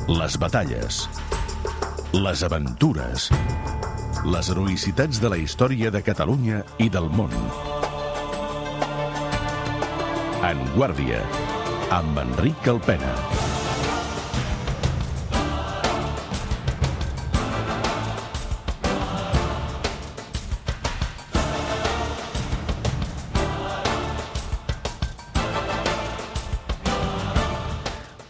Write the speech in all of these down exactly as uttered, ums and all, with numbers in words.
Les batalles, les aventures, les heroïcitats de la història de Catalunya i del món. En Guàrdia, amb Enric Calpena.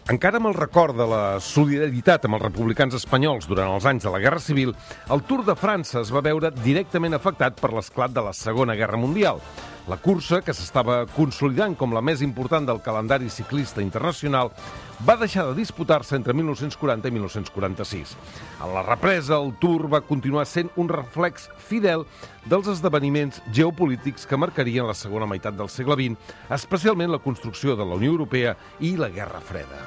Encara amb el record de la solidaritat amb els republicans espanyols durant els anys de la Guerra Civil, el Tour de França es va veure directament afectat per l'esclat de la Segona Guerra Mundial. La cursa, que s'estava consolidant com la més important del calendari ciclista internacional, va deixar de disputar-se entre mil nou-cents quaranta i mil nou-cents quaranta-sis. En la represa, el Tour va continuar sent un reflex fidel dels esdeveniments geopolítics que marcarien la segona meitat del segle vint, especialment la construcció de la Unió Europea i la Guerra Freda.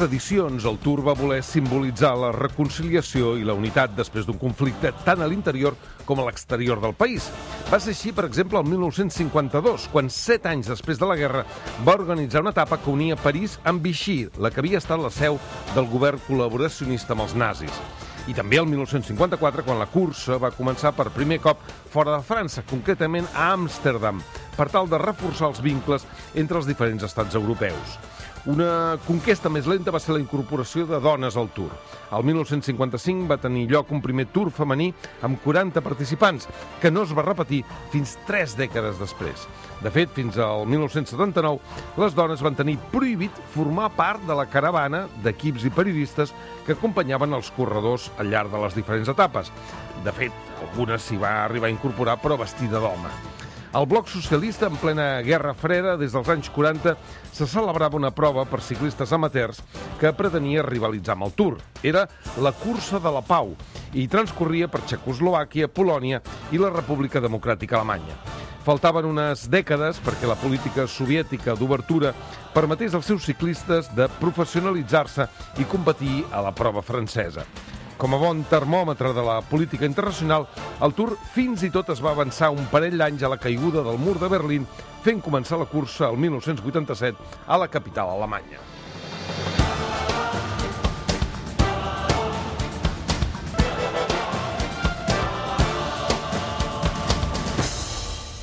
Edicions, el Tour va voler simbolitzar la reconciliació i la unitat després d'un conflicte tant a l'interior com a l'exterior del país. Va ser així, per exemple, el mil nou-cents cinquanta-dos, quan set anys després de la guerra va organitzar una etapa que unia París amb Vichy, la que havia estat la seu del govern col·laboracionista amb els nazis. I també el mil nou-cents cinquanta-quatre, quan la cursa va començar per primer cop fora de França, concretament a Amsterdam, per tal de reforçar els vincles entre els diferents estats europeus. Una conquesta més lenta va ser la incorporació de dones al Tour. El mil nou-cents cinquanta-cinc va tenir lloc un primer Tour femení amb quaranta participants, que no es va repetir fins tres dècades després. De fet, fins al mil nou-cents setanta-nou, les dones van tenir prohibit formar part de la caravana d'equips i periodistes que acompanyaven els corredors al llarg de les diferents etapes. De fet, algunes s'hi va arribar a incorporar, però vestida d'home. Al bloc socialista, en plena Guerra Freda, des dels anys quaranta, se celebrava una prova per ciclistes amateurs que pretenia rivalitzar amb el Tour. Era la Cursa de la Pau i transcorria per Txecoslovàquia, Polònia i la República Democràtica Alemanya. Faltaven unes dècades perquè la política soviètica d'obertura permetés als seus ciclistes de professionalitzar-se i competir a la prova francesa. Com a bon termòmetre de la política internacional, el Tour fins i tot es va avançar un parell d'anys a la caiguda del mur de Berlín, fent començar la cursa el mil nou-cents vuitanta-set a la capital alemanya.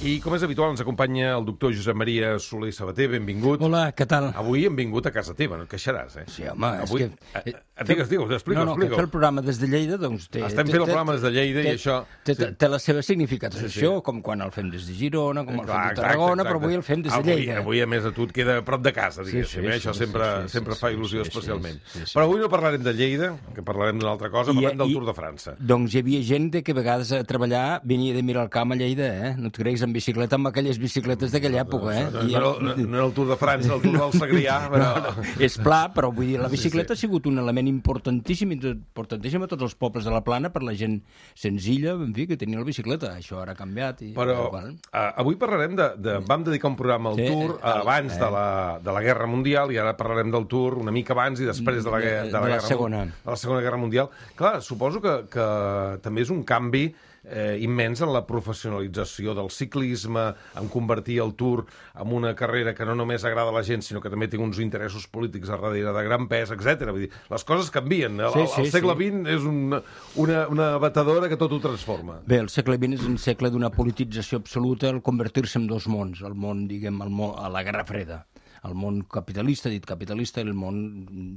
I, com és habitual, ens acompanya el doctor Josep Maria Soler Sabater. Benvingut. Hola, què tal? Avui hem vingut a casa teva, no et queixaràs, eh? Sí, home, Avui... és que... Eh, digues, digues, explica, no, no, explica. que fer el programa des de Lleida, doncs... Té, Estem té, fent el té, programa des de Lleida té, i això... Té, té, sí. té la seva significació, sí, sí. com quan el fem des de Girona, com el Clar, fem de Tarragona, exacte, exacte. però avui el fem des de avui, Lleida. Avui, a més, a tu et queda a prop de casa, diguéssim. Sí, sí, això sí, sempre, sí, sí, sempre sí, fa sí, il·lusió sí, especialment. sí, sí, sí. Però avui no parlarem de Lleida, que parlarem d'una altra cosa, I, parlem del i, Tour de França. Doncs hi havia gent que a vegades a treballar venia de mirar el camp a Lleida, eh? No et creguis, en bicicleta, amb aquelles bicicletes d'aquella època, eh? No, no, no, no era el Tour de França, el Tour del Segrià, però... No, no, és pla, però vull dir, la bicicleta sí, sí. ha sigut un element importantíssim, importantíssim a tots els pobles de la Plana, per la gent senzilla, en fi, que tenia la bicicleta. Això ara ha canviat. I, però uh, avui parlarem de, de... Vam dedicar un programa al sí, Tour eh, abans eh. de, la, de la Guerra Mundial, i ara parlarem del Tour una mica abans i després de la, de, de la, de la, guerra, segona. de la Segona Guerra Mundial. Clar, suposo que, que també és un canvi eh, immens en la professionalització del ciclisme, en convertir el Tour en una carrera que no només agrada a la gent, sinó que també té uns interessos polítics a darrere de gran pes, etcètera. Vull dir, les coses canvien. El, sí, sí, el segle sí. vint és una, una, una batedora que tot ho transforma. Bé, el segle vint és un segle d'una politització absoluta, el convertir-se en dos mons, el món, diguem, el món, a la Guerra Freda. El món capitalista, dit capitalista, i el món,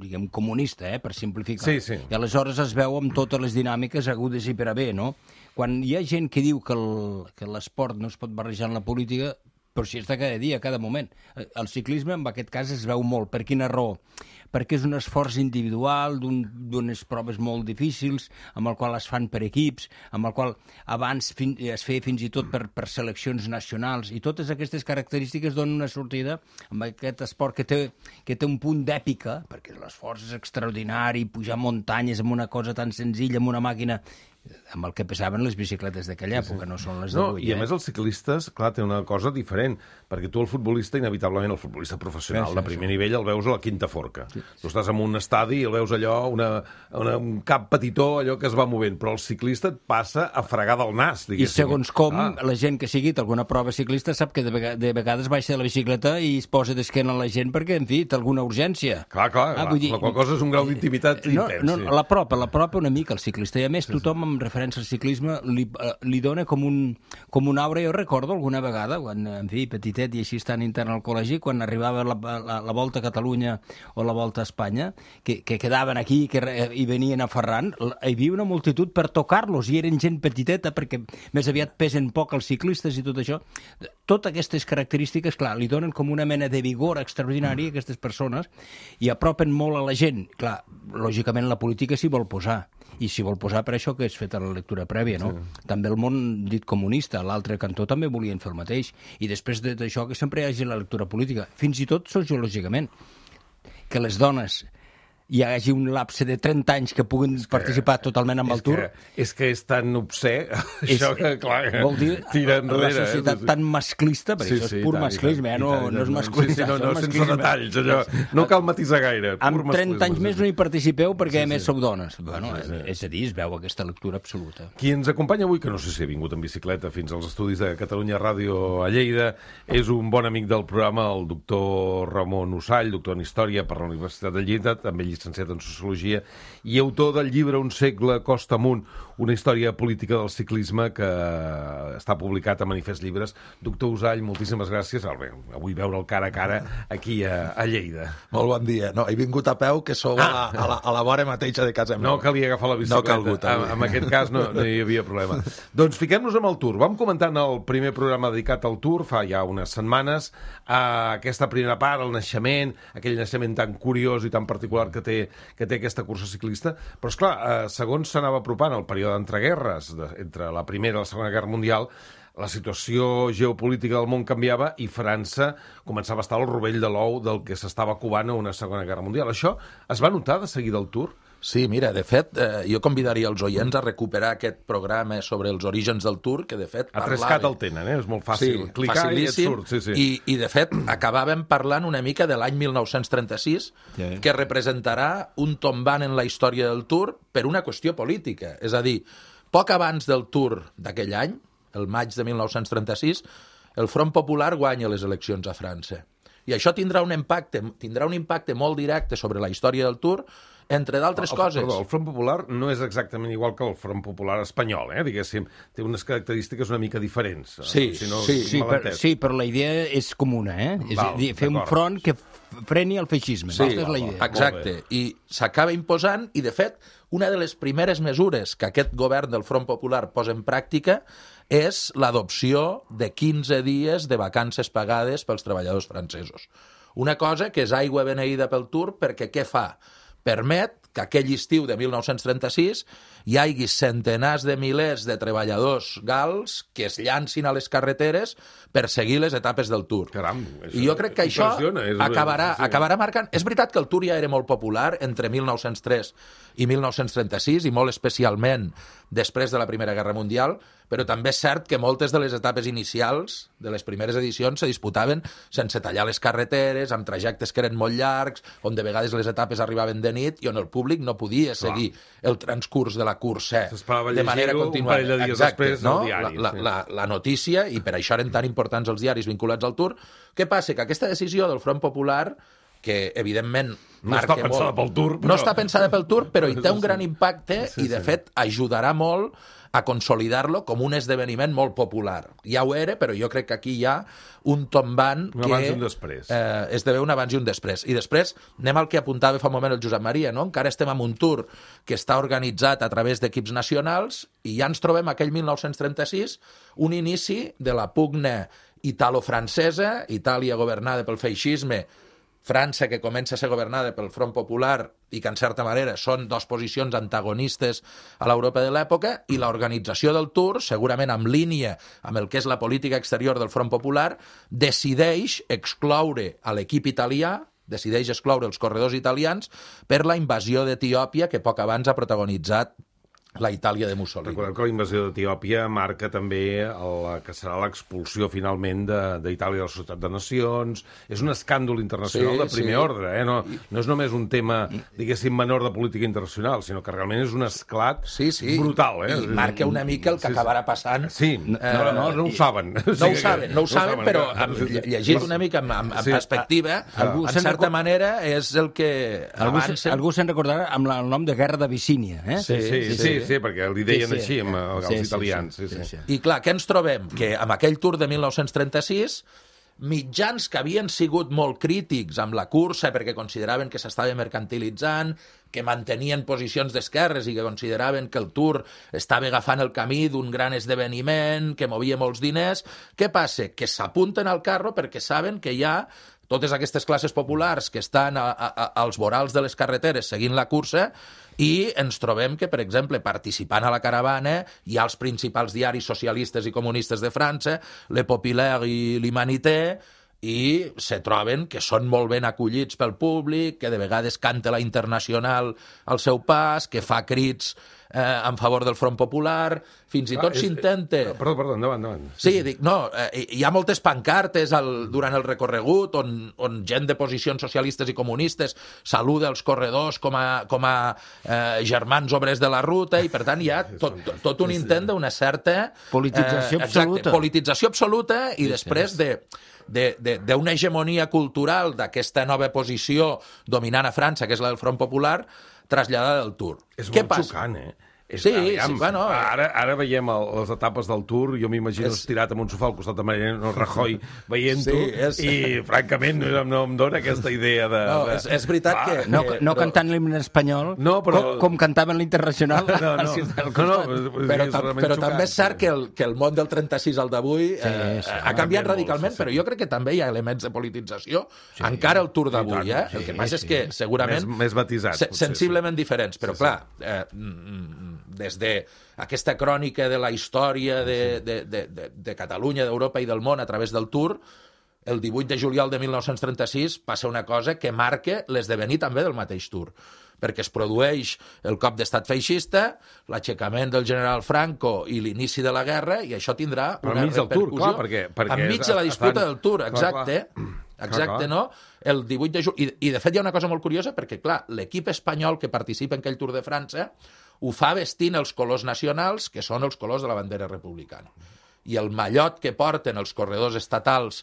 diguem, comunista, eh, per simplificar. Sí, sí. I aleshores es veu amb totes les dinàmiques agudes i per a bé, no? Quan hi ha gent que diu que el, que l'esport no es pot barrejar en la política, però si està cada dia, cada moment. El ciclisme, en aquest cas, es veu molt. Per quina raó? Perquè és un esforç individual, d'unes un, proves molt difícils, amb el qual es fan per equips, amb el qual abans fin, es feia fins i tot per, per seleccions nacionals, i totes aquestes característiques donen una sortida amb aquest esport que té, que té un punt d'èpica, perquè l'esforç és extraordinari, pujar muntanyes amb una cosa tan senzilla, amb una màquina amb el que pesaven les bicicletes d'aquella època, no són les d'avui. No, i a més els ciclistes, clar, té una cosa diferent, perquè tu el futbolista, inevitablement, el futbolista professional de primer nivell el veus a la quinta forca. Tu estàs en un estadi i el veus allò, una, una, un cap petitó, allò que es va movent, però el ciclista et passa a fregar del nas, diguéssim. I segons com, ah. la gent que sigui alguna prova ciclista sap que de, vegades, de vegades baixa de la bicicleta i es posa d'esquena a la gent perquè, en fi, té alguna urgència. Clar, clar, ah, la, dir, la qual cosa és un grau d'intimitat no, intens. No, sí. l'apropa, l'apropa una mica el ciclista, i a més tothom amb referència al ciclisme li, li dona com un, com un aura. Jo recordo alguna vegada, quan, en fi, petitet i així estant intern al col·legi, quan arribava la, la, la Volta a Catalunya o la Volta a Espanya, que, que quedaven aquí que, i venien a Ferran, hi havia una multitud per tocar-los, i eren gent petiteta, perquè més aviat pesen poc els ciclistes i tot això. Totes aquestes característiques, clar, li donen com una mena de vigor extraordinari a aquestes persones i apropen molt a la gent. Clar, lògicament la política s'hi vol posar, i s'hi vol posar per això que és feta la lectura prèvia, no? Sí. També el món dit comunista, l'altre cantó també volien fer el mateix, i després d'això que sempre hi hagi la lectura política, fins i tot sociològicament, que les dones hi hagi un lapse de trenta anys que puguin que, participar totalment amb el Tour. Que, és que és tan obscè, és, això que, clar, vol dir, tira enrere. La societat eh? tan masclista, perquè sí, això és pur sí, masclisme, eh? no, tant, no és masclisme. Sí, sí, no, no, sense detalls, allò. No cal matisar gaire. Amb trenta anys més no hi participeu perquè, sí, a més, sí. sou dones. Bueno, sí, sí. És a dir, es veu aquesta lectura absoluta. Qui ens acompanya avui, que no sé si ha vingut en bicicleta fins als estudis de Catalunya Ràdio a Lleida, és un bon amic del programa, el doctor Ramon Usall, doctor en Història per la Universitat de Lleida, també llicenciat en Sociologia, i autor del llibre Un segle costa amunt, una història política del ciclisme que està publicat a Manifest Llibres. Doctor Usall, moltíssimes gràcies. Avui veure'l cara a cara aquí a, a Lleida. Molt bon dia. No, he vingut a peu, que sou ah. a, a, la, a la vora mateixa de casa meva. No calia agafar la bicicleta. No calgut, en, en aquest cas no, no hi havia problema. Doncs fiquem-nos amb el Tour. Vam comentar en el primer programa dedicat al Tour, fa ja unes setmanes, a aquesta primera part, el naixement, aquell naixement tan curiós i tan particular que té, que té aquesta cursa ciclista. Però, esclar, eh, segons s'anava apropant el període d'entreguerres, de, entre la Primera i la Segona Guerra Mundial, la situació geopolítica del món canviava i França començava a estar al rovell de l'ou del que s'estava covant a una Segona Guerra Mundial. Això es va notar de seguida al Tour? Sí, mira, de fet, eh, jo convidaria els oients a recuperar aquest programa sobre els orígens del Tour, que de fet parlava... A Trescat el tenen, eh? És molt fàcil. Sí, clicar facilíssim, i et surt. Sí, sí. I, I, de fet, acabàvem parlant una mica de l'any mil nou-cents trenta-sis, sí. que representarà un tombant en la història del Tour per una qüestió política. És a dir, poc abans del Tour d'aquell any, el maig de mil nou-cents trenta-sis, el Front Popular guanya les eleccions a França. I això tindrà un impacte, tindrà un impacte molt directe sobre la història del Tour, entre d'altres el, coses. Perdó, el Front Popular no és exactament igual que el Front Popular espanyol, eh? Diguéssim, té unes característiques una mica diferents. Sí, si no, sí, sí, per, sí, però la idea és comuna, eh? És Val, a dir, fer un front que freni el feixisme. Sí, és la idea. Exacte. I s'acaba imposant, i de fet, una de les primeres mesures que aquest govern del Front Popular posa en pràctica és l'adopció de quinze dies de vacances pagades pels treballadors francesos. Una cosa que és aigua beneïda pel Tour, perquè què fa? Permet que aquell estiu de mil nou-cents trenta-sis hi hagi centenars de milers de treballadors gals que es llancin a les carreteres per seguir les etapes del Tour. Caram, I jo crec que això acabarà, acabarà marcant... És veritat que el Tour ja era molt popular entre mil nou-cents tres i mil nou-cents trenta-sis, i molt especialment després de la Primera Guerra Mundial, però també és cert que moltes de les etapes inicials de les primeres edicions se disputaven sense tallar les carreteres, amb trajectes que eren molt llargs, on de vegades les etapes arribaven de nit i on el públic no podia seguir Clar. el transcurs de la cursa de manera continuada. Un parell de dies Exacte, després no? al diari. La, la, sí. la, la notícia, i per això eren tan importants els diaris vinculats al Tour. Què passa? Que aquesta decisió del Front Popular, que evidentment no marca està pensada molt, pel Tour, però... no està pensada pel Tour, però hi té un gran impacte sí, i, de sí. fet, ajudarà molt a consolidar-lo com un esdeveniment molt popular. Ja ho era, però jo crec que aquí hi ha un tombant un que abans i un després. Eh, esdevé un abans i un després. I després anem al que apuntava fa un moment el Josep Maria, no? Encara estem en un Tour que està organitzat a través d'equips nacionals i ja ens trobem aquell mil nou-cents trenta-sis, un inici de la pugna italo-francesa, Itàlia governada pel feixisme, França, que comença a ser governada pel Front Popular i que, en certa manera, són dues posicions antagonistes a l'Europa de l'època, i l'organització del Tour, segurament en línia amb el que és la política exterior del Front Popular, decideix excloure a l'equip italià, decideix excloure els corredors italians per la invasió d'Etiòpia que poc abans ha protagonitzat la Itàlia de Mussolini. Recordem que la invasió d'Etiòpia marca també el que serà l'expulsió finalment d'Itàlia de la Societat de Nacions. És un escàndol internacional Sí, de primer sí. ordre, eh? No, no és només un tema, diguéssim, menor de política internacional, sinó que realment és un esclat Sí, sí. brutal. Eh? I marca una mica el que Sí, sí. acabarà passant. Sí, no, no, no, no ho saben. No ho saben, no ho saben, però amb, llegit una mica amb, amb Sí. perspectiva, Algú en se'n certa record- manera és el que Algú, se- avança. algú se'n recordarà amb la, el nom de Guerra d'Abissínia, eh? Sí, sí, sí, sí, sí, perquè li deien Sí, sí. així amb els Sí, sí, italians. sí, Sí, sí. sí, sí. I clar, què ens trobem? Que amb aquell Tour de mil nou-cents trenta-sis mitjans que havien sigut molt crítics amb la cursa perquè consideraven que s'estava mercantilitzant, que mantenien posicions d'esquerres i que consideraven que el Tour estava agafant el camí d'un gran esdeveniment, que movia molts diners. Què passa? Que s'apunten al carro perquè saben que hi ha totes aquestes classes populars que estan a, a, a, als vorals de les carreteres seguint la cursa i ens trobem que, per exemple, participant a la caravana hi ha els principals diaris socialistes i comunistes de França, Le Populaire i l'Humanité, i se troben que són molt ben acollits pel públic, que de vegades canta la Internacional al seu pas, que fa crits eh, en favor del Front Popular, fins i Ah, tot és- s'intenta... Perdó, perdó, endavant, endavant. Sí, dic, no, eh, hi ha moltes pancartes al, durant el recorregut on, on gent de posicions socialistes i comunistes saluda els corredors com a, com a eh, germans obrers de la ruta i, per tant, hi ha tot, tot, tot un intent d'una certa... Politització eh, exacte, absoluta. politització absoluta i després de de- de- d'una hegemonia cultural d'aquesta nova posició dominant a França, que és la del Front Popular, traslladada del Tour. És Què molt passa? xocant, eh? És, Sí, aviam, sí, bueno, eh. ara, ara veiem el, les etapes del Tour, jo m'imagino És- estirat amb un sofà al costat de Mariano Rajoy veient-ho, Sí, és- i francament no, no em dona aquesta idea de... No, de... és, és veritat Va, que... No, que, no però- cantant l'himne espanyol, No, però- com, com cantaven l'Internacional. No, no, al no, ciutat del no, no, costat. és- però, és tam realment però xocant, també és cert sí. que el, que el món del trenta-sis al d'avui eh, sí, ha ha canviat canviat radicalment, molt, sí, sí. però jo crec que també hi ha elements de politització, encara el Tour d'avui, tant, eh? sí, El que passa sí. és que segurament... Més- més matisat, se- potser, Sensiblement diferents, però Sí, sí. clar, eh, mm, des de aquesta crònica de la història de, de, de, de, de Catalunya, d'Europa i del món a través del Tour, el divuit de juliol de mil nou-cents trenta-sis passa una cosa que marca l'esdevenir també del mateix Tour, perquè es produeix el cop d'estat feixista, l'aixecament del general Franco i l'inici de la guerra, i això tindrà Però una enmig del Tour, repercussió... clar, perquè- perquè enmig de la estan- disputa del Tour, clar, exacte. clar. Exacte, clar. no? El divuit de juliol... I, I, de fet, hi ha una cosa molt curiosa, perquè, clar, l'equip espanyol que participa en aquell Tour de França ho fa vestint els colors nacionals, que són els colors de la bandera republicana. I el mallot que porten els corredors estatals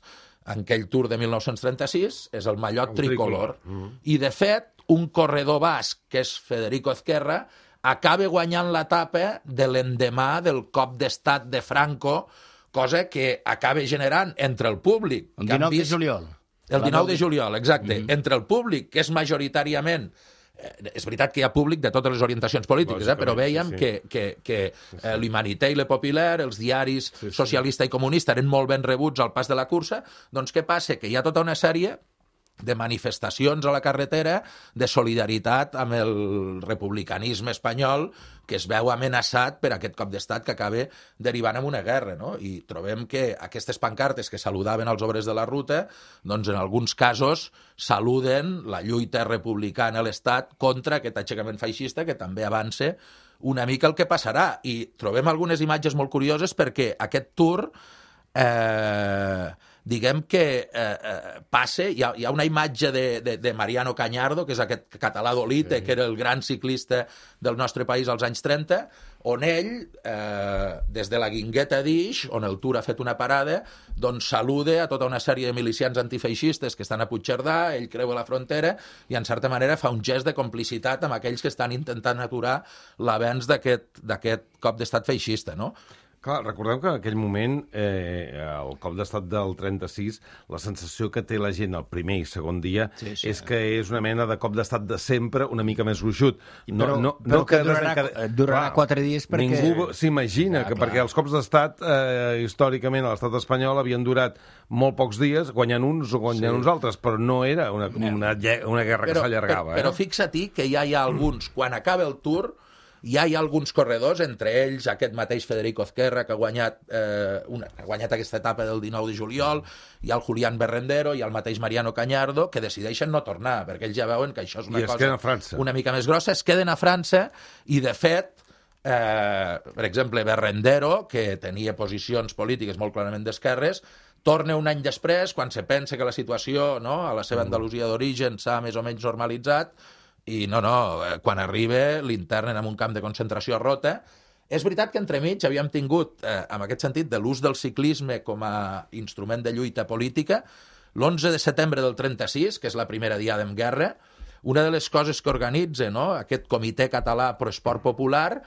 en aquell Tour de mil nou-cents trenta-sis és el mallot El tricolor. tricolor. I, de fet, un corredor basc, que és Federico Ezquerra, acaba guanyant l'etapa de l'endemà del cop d'estat de Franco, cosa que acaba generant entre el públic... El que han dinou de vist- juliol. el dinou de juliol, exacte. Mm -hmm. Entre el públic, que és majoritàriament... Eh, és veritat que hi ha públic de totes les orientacions polítiques, eh? però Lògicament, veiem sí, sí. que, que, que eh, l'Humanité i Le Populaire, els diaris sí, sí. socialista i comunista, eren molt ben rebuts al pas de la cursa. Doncs què passa? Que hi ha tota una sèrie de manifestacions a la carretera de solidaritat amb el republicanisme espanyol que es veu amenaçat per aquest cop d'estat que acaba derivant en una guerra, no? I trobem que aquestes pancartes que saludaven els obres de la ruta, doncs en alguns casos saluden la lluita republicana a l'estat contra aquest aixecament feixista que també avança una mica el que passarà. I trobem algunes imatges molt curioses perquè aquest Tour... Eh, diguem que eh, eh, passa, hi ha, hi ha una imatge de, de, de Mariano Cañardo, que és aquest català d'Olite, sí. que era el gran ciclista del nostre país als anys trenta, on ell, eh, des de la Guingueta d'Ix, on el Tour ha fet una parada, doncs saluda a tota una sèrie de milicians antifeixistes que estan a Puigcerdà, ell creua la frontera i, en certa manera, fa un gest de complicitat amb aquells que estan intentant aturar l'avenç d'aquest d'aquest cop d'estat feixista, no? Clar, recordem que en aquell moment, eh, el cop d'estat del trenta-sis, la sensació que té la gent el primer i segon dia sí, sí. és que és una mena de cop d'estat de sempre, una mica més gruixut. No, però no, però no que durarà, desencade... durarà Clar, quatre dies perquè... Ningú s'imagina que clar. Perquè els cops d'estat, eh, històricament, a l'estat espanyol havien durat molt pocs dies, guanyant uns o guanyant sí. uns altres, però no era una, una, una guerra però, que s'allargava. Però, però eh? fixa-t'hi que ja hi ha alguns, quan acaba el Tour... Ja hi ha alguns corredors, entre ells aquest mateix Federico Ezquerra, que ha guanyat, eh, una, ha guanyat aquesta etapa del dinou de juliol, hi ha el Julián Berrendero, hi ha el mateix Mariano Cañardo, que decideixen no tornar, perquè ells ja veuen que això és una I cosa una mica més grossa. Es queden a França i, de fet, eh, per exemple, Berrendero, que tenia posicions polítiques molt clarament d'esquerres, torna un any després, quan se pensa que la situació, no, a la seva Andalusia d'origen s'ha més o menys normalitzat, i no, no, quan arriba l'internen en un camp de concentració a Rota. És veritat que entremig havíem tingut, eh, en aquest sentit, de l'ús del ciclisme com a instrument de lluita política. L'onze de setembre del trenta-sis, que és la primera diada en guerra, una de les coses que organitza, no, aquest Comitè Català Pro Esport Popular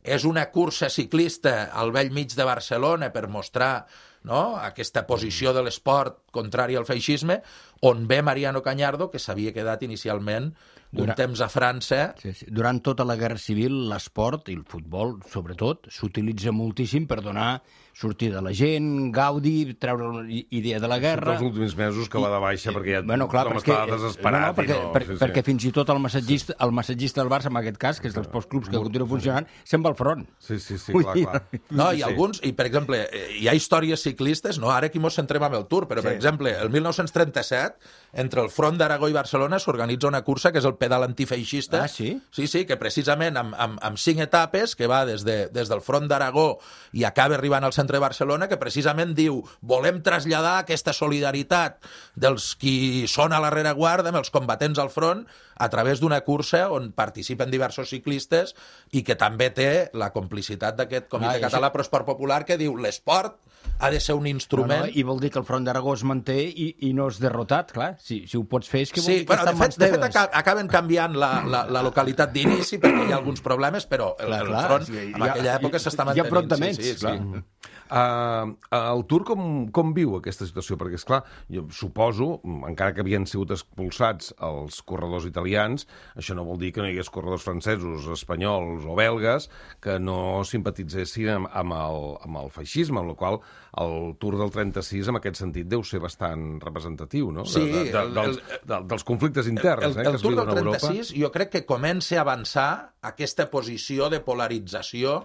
és una cursa ciclista al vell mig de Barcelona per mostrar, no, aquesta posició de l'esport contrari al feixisme, on ve Mariano Cañardo, que s'havia quedat inicialment un Durant... temps a França. Sí, sí. Durant tota la Guerra Civil, l'esport, i el futbol sobretot, s'utilitza moltíssim per donar sortida a la gent, gaudi, treure una idea de la guerra... Els últims mesos que va de baixa, perquè ja bueno, clar, tothom perquè, estava desesperat. No, no, perquè, no, per, sí, sí. perquè fins i tot el massatgista, el massatgista del Barça, en aquest cas, que és dels pocs clubs que continua funcionant, se'n va al front. Sí, sí, sí, clar, clar. No, i alguns, i per exemple, hi ha històries ciclistes, no, ara aquí mos centrem amb el Tour, però per sí. exemple, el mil nou-cents trenta-set, entre el front d'Aragó i Barcelona s'organitza una cursa que és el pedal antifeixista. Ah, sí? Sí, sí, que precisament amb, amb, amb cinc etapes, que va des, de, des del front d'Aragó i acaba arribant al centre de Barcelona, que precisament diu, volem traslladar aquesta solidaritat dels qui són a la rereguarda amb els combatents al front a través d'una cursa on participen diversos ciclistes i que també té la complicitat d'aquest Comitè ah, Català Pro Esport Popular que diu l'esport ha de ser un instrument... No, no, I vol dir que el front d'Aragó es manté i, i no és derrotat, clar. Si, si ho pots fer és que vol sí, dir que bueno, està en mans teves. De fet, teves. acaben canviant la, la, la localitat d'inici perquè hi ha alguns problemes, però el, clar, el clar, front sí, en aquella ha, època s'està Hi mantenint. ha enfrontaments, sí, sí, clar. Sí. Uh, el Tour com, com viu aquesta situació? Perquè, esclar, jo suposo, encara que havien sigut expulsats els corredors italians, això no vol dir que no hi hagués corredors francesos, espanyols o belgues que no simpatitzessin amb, amb, el, amb el feixisme, amb la qual el Tour del trenta-sis en aquest sentit deu ser bastant representatiu, no? Sí, de, de, de, el, dels, de, dels conflictes interns el, el, eh, que el es Tour viuen del a Europa. trenta-sis jo crec que comença a avançar aquesta posició de polarització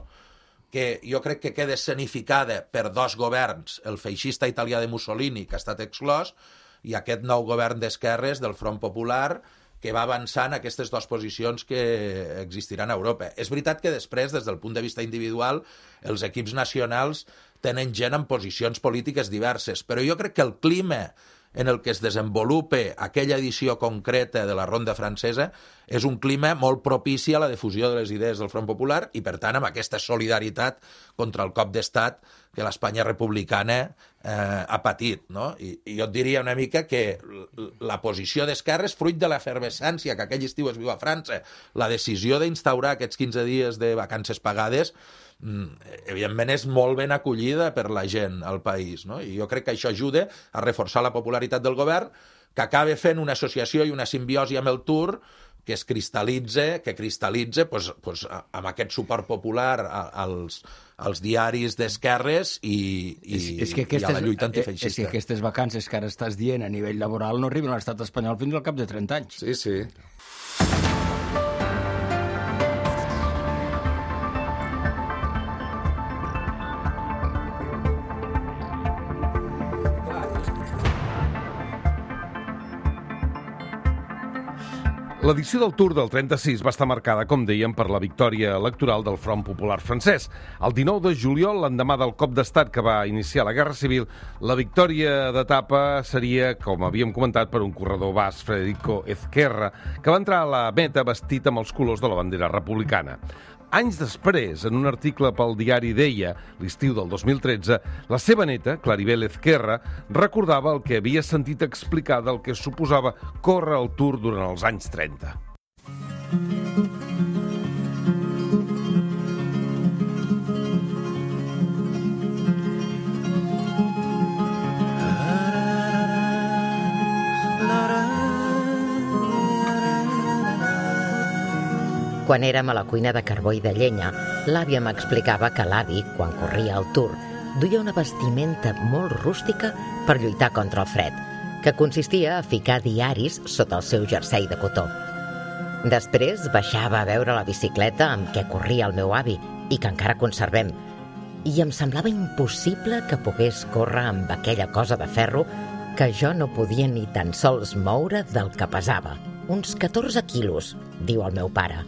que jo crec que queda escenificada per dos governs, el feixista italià de Mussolini, que ha estat exclòs, i aquest nou govern d'esquerres del Front Popular, que va avançant aquestes dues posicions que existiran a Europa. És veritat que després, des del punt de vista individual, els equips nacionals tenen gent en posicions polítiques diverses, però jo crec que el clima en el que es desenvolupa aquella edició concreta de la Ronda Francesa és un clima molt propici a la difusió de les idees del Front Popular i, per tant, amb aquesta solidaritat contra el cop d'estat que l'Espanya republicana eh, ha patit. No? I, I jo et diria una mica que la posició d'esquerres, fruit de l'efervescència que aquell estiu es viu a França, la decisió d'instaurar aquests quinze dies de vacances pagades, evidentment és molt ben acollida per la gent al país, no? I jo crec que això ajuda a reforçar la popularitat del govern, que acaba fent una associació i una simbiosi amb el Tour que es cristal·litza, que cristal·litza pues, pues, amb aquest suport popular als, als diaris d'esquerres i, i, és, és que aquestes, i a la lluita antifeixista. És que aquestes vacances que ara estàs dient a nivell laboral no arriben a l'estat espanyol fins al cap de trenta anys. Sí, sí. L'edició del Tour del trenta-sis va estar marcada, com dèiem, per la victòria electoral del Front Popular francès. El dinou de juliol, l'endemà del cop d'estat que va iniciar la Guerra Civil, la victòria d'etapa seria, com havíem comentat, per un corredor basc, Federico Ezquerra, que va entrar a la meta vestit amb els colors de la bandera republicana. Anys després, en un article pel diari Deia, l'estiu del dos mil tretze, la seva neta, Claribel Ezquerra, recordava el que havia sentit explicar del que suposava córrer el Tour durant els anys trenta. Quan érem a la cuina de carbó i de llenya, l'àvia m'explicava que l'avi, quan corria el Tour, duia una vestimenta molt rústica per lluitar contra el fred, que consistia a ficar diaris sota el seu jersei de cotó. Després baixava a veure la bicicleta amb què corria el meu avi i que encara conservem, i em semblava impossible que pogués córrer amb aquella cosa de ferro que jo no podia ni tan sols moure del que pesava. Uns catorze quilos, diu el meu pare.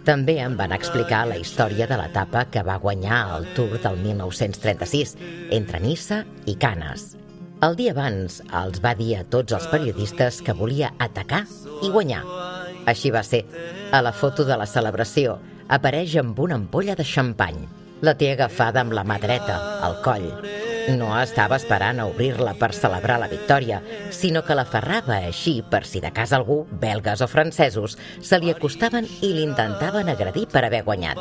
També em van explicar la història de l'etapa que va guanyar el Tour del mil nou-cents trenta-sis, entre Niça i Canes. El dia abans els va dir a tots els periodistes que volia atacar i guanyar. Així va ser. A la foto de la celebració apareix amb una ampolla de xampany. La té agafada amb la mà dreta, al coll. No estava esperant a obrir-la per celebrar la victòria, sinó que l'aferrava així per si de cas algú, belgues o francesos, se li acostaven i l'intentaven agredir per haver guanyat.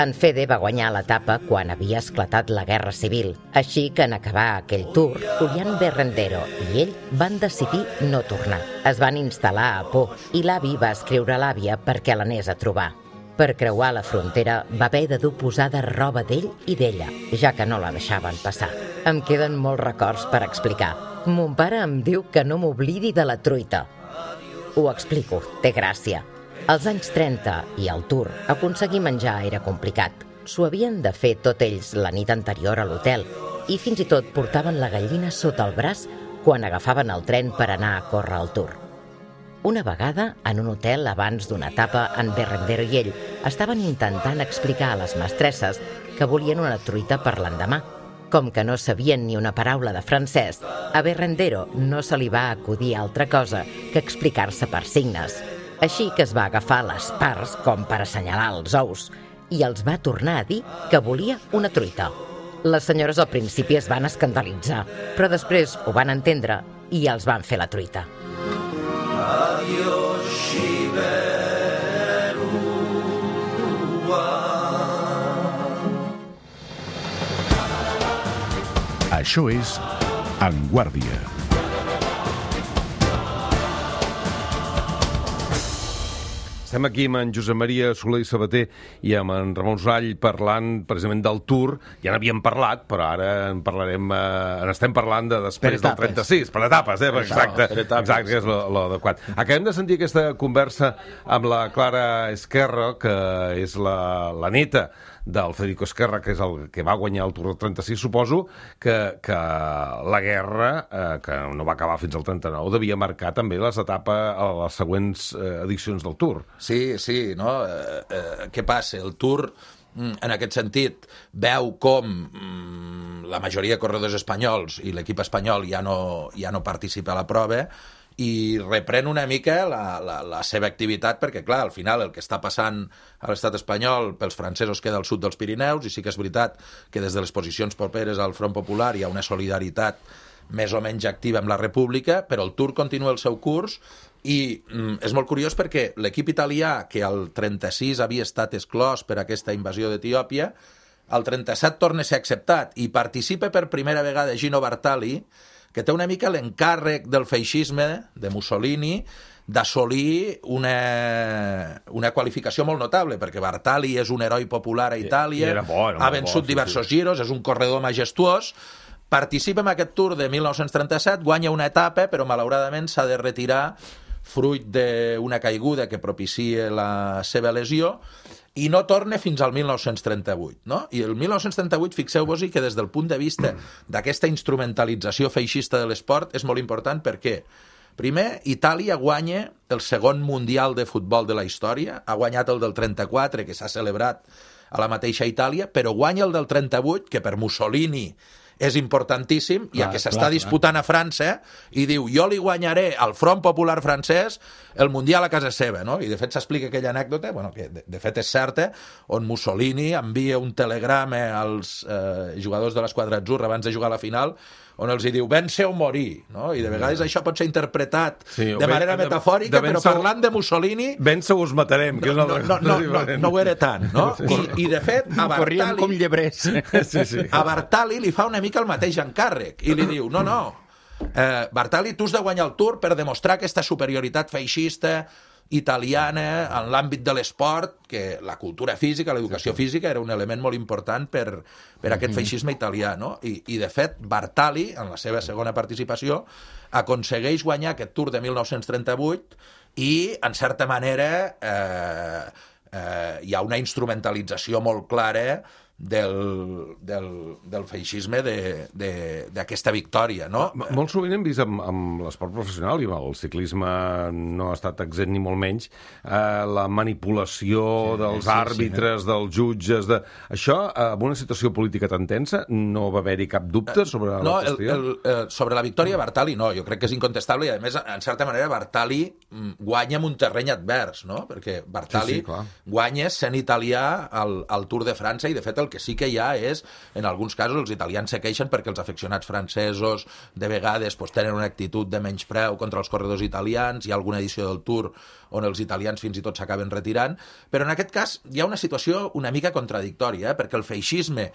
En Fede va guanyar l'etapa quan havia esclatat la Guerra Civil, així que en acabar aquell Tour, Julián Berrendero i ell van decidir no tornar. Es van instal·lar a Pau i l'avi va escriure a l'àvia perquè l'anés a trobar. Per creuar la frontera va haver de dur posada roba d'ell i d'ella, ja que no la deixaven passar. Em queden molts records per explicar. Mon pare em diu que no m'oblidi de la truita. Ho explico, té gràcia. Als anys trenta i al Tour, aconseguir menjar era complicat. S'ho havien de fer tot ells la nit anterior a l'hotel i fins i tot portaven la gallina sota el braç quan agafaven el tren per anar a córrer al Tour. Una vegada, en un hotel abans d'una etapa, en Berrendero i ell estaven intentant explicar a les mestresses que volien una truita per l'endemà. Com que no sabien ni una paraula de francès, a Berrendero no se li va acudir altra cosa que explicar-se per signes. Així que es va agafar les parts com per assenyalar els ous i els va tornar a dir que volia una truita. Les senyores al principi es van escandalitzar, però després ho van entendre i els van fer la truita. Això és En Guàrdia. Estem aquí amb en Josep Maria Soler i Sabater i amb en Ramon Sorall parlant precisament del Tour. Ja n'havíem parlat, però ara en parlarem, eh, estem parlant de després del trenta-sis. Per etapes, eh? Exacte, exacte, que és l'adequat. Acabem de sentir aquesta conversa amb la Clara Esquerra, que és la, la neta del Federico Esquerra, que és el que va guanyar el Tour del trenta-sis. Suposo que, que la guerra, eh, que no va acabar fins al trenta-nou, devia marcar també les etapes a les següents eh, edicions del Tour. Sí, sí, no? Eh, eh, què passa? El Tour, en aquest sentit, veu com mm, la majoria de corredors espanyols i l'equip espanyol ja no, ja no participa a la prova i reprèn una mica la, la, la seva activitat, perquè, clar, al final el que està passant a l'estat espanyol pels francesos queda al sud dels Pirineus, i sí que és veritat que des de les posicions properes al Front Popular hi ha una solidaritat més o menys activa amb la República, però el Tour continua el seu curs i mm, és molt curiós perquè l'equip italià, que al trenta-sis havia estat exclòs per aquesta invasió d'Etiòpia, al trenta-set torna a ser acceptat i participa per primera vegada Gino Bartali, que té una mica l'encàrrec del feixisme de Mussolini d'assolir una, una qualificació molt notable, perquè Bartali és un heroi popular a Itàlia, bo, ha vençut bo, diversos sí, sí. giros, és un corredor majestuós, participa en aquest Tour de mil nou-cents trenta-set, guanya una etapa, però malauradament s'ha de retirar fruit d'una caiguda que propicia la seva lesió, i no torna fins al mil nou-cents trenta-vuit. No? I el mil nou-cents trenta-vuit, fixeu-vos-hi que des del punt de vista d'aquesta instrumentalització feixista de l'esport és molt important perquè, primer, Itàlia guanya el segon Mundial de futbol de la història, ha guanyat el del trenta-quatre, que s'ha celebrat a la mateixa Itàlia, però guanya el del trenta-vuit, que per Mussolini és importantíssim, clar, ja que s'està disputant clar. a França, i diu, jo li guanyaré al Front Popular francès el Mundial a casa seva, no? I de fet s'explica aquella anècdota, bueno, que de, de fet és certa, on Mussolini envia un telegrama als eh, jugadors de l'esquadra atzurra abans de jugar a la final, on els hi diu, vèncer o morir, no? I de vegades això pot ser interpretat sí, de manera ben, metafòrica, de, de però parlant de Mussolini... Vèncer us matarem, que és una no, no, no, no, no, no ho era tant, no? I, i de fet, a Bartali... com llebrers. Sí, sí. A Bartali li fa una mica el mateix encàrrec, i li diu, no, no, eh, Bartali, tu has de guanyar el Tour per demostrar aquesta superioritat feixista italiana en l'àmbit de l'esport, que la cultura física, l'educació sí, sí. física era un element molt important per, per aquest feixisme italià, no? I, i de fet Bartali, en la seva segona participació, aconsegueix guanyar aquest Tour de mil nou-cents trenta-vuit i, en certa manera, eh, eh, hi ha una instrumentalització molt clara del, del, del feixisme d'aquesta victòria, no? Molt sovint hem vist amb, amb l'esport professional, i el ciclisme no ha estat exempt ni molt menys, eh, la manipulació sí, dels sí, àrbitres, sí, dels jutges... De... Això, en una situació política tan tensa, no va haver-hi cap dubte sobre no, la qüestió? El, el, el, sobre la victòria Bartali, no, jo crec que és incontestable, i a més, en certa manera, Bartali guanya en un terreny advers, no? Perquè Bartali sí, sí, guanya sent italià al, al Tour de França, i de fet el que sí que hi ha és, en alguns casos, els italians se queixen perquè els aficionats francesos de vegades pues, tenen una actitud de menyspreu contra els corredors italians, hi ha alguna edició del Tour on els italians fins i tot s'acaben retirant, però en aquest cas hi ha una situació una mica contradictòria, eh? Perquè el feixisme